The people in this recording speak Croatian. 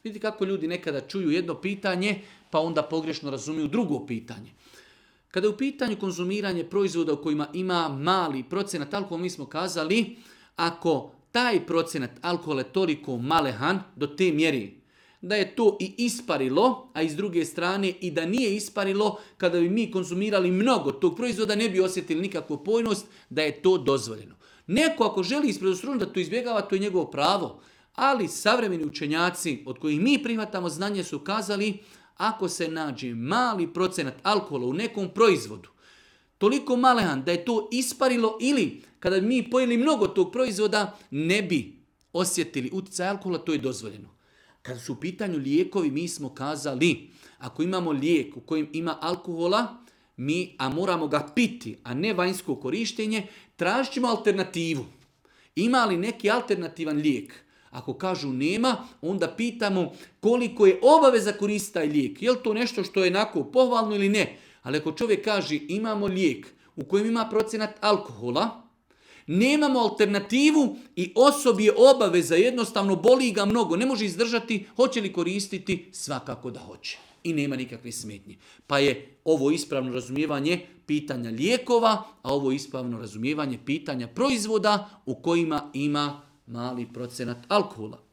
Vidite kako ljudi nekada čuju jedno pitanje, pa onda pogrešno razumiju drugo pitanje. Kada je u pitanju konzumiranje proizvoda u kojima ima mali procenat alkohola, mi smo kazali, ako taj procenat alkohola je toliko malehan do te mjeri, da je to i isparilo, a iz druge strane i da nije isparilo, kada bi mi konzumirali mnogo tog proizvoda, ne bi osjetili nikakvu pojnost, da je to dozvoljeno. Neko ako želi iz predostrožnosti da to izbjegava, to je njegovo pravo. Ali savremeni učenjaci od kojih mi prihvatamo znanje su kazali, ako se nađe mali procenat alkohola u nekom proizvodu, toliko malehan da je to isparilo ili kada bi mi pojeli mnogo tog proizvoda, ne bi osjetili utjecaj alkohola, to je dozvoljeno. Kada su u pitanju lijekovi, mi smo kazali, ako imamo lijek u kojem ima alkohola, a moramo ga piti, a ne vanjsko korištenje, tražit ćemo alternativu. Ima li neki alternativan lijek? Ako kažu nema, onda pitamo koliko je obaveza koristiti taj lijek. Je li to nešto što je onako pohvalno ili ne? Ali ako čovjek kaže imamo lijek u kojem ima procenat alkohola, nemamo alternativu i osobi je obaveza, jednostavno boli ga mnogo, ne može izdržati, hoće li koristiti? Svakako da hoće. I nema nikakve smetnje. Pa je ovo ispravno razumijevanje pitanja lijekova, a ovo ispravno razumijevanje pitanja proizvoda u kojima ima mali procenat alkohola.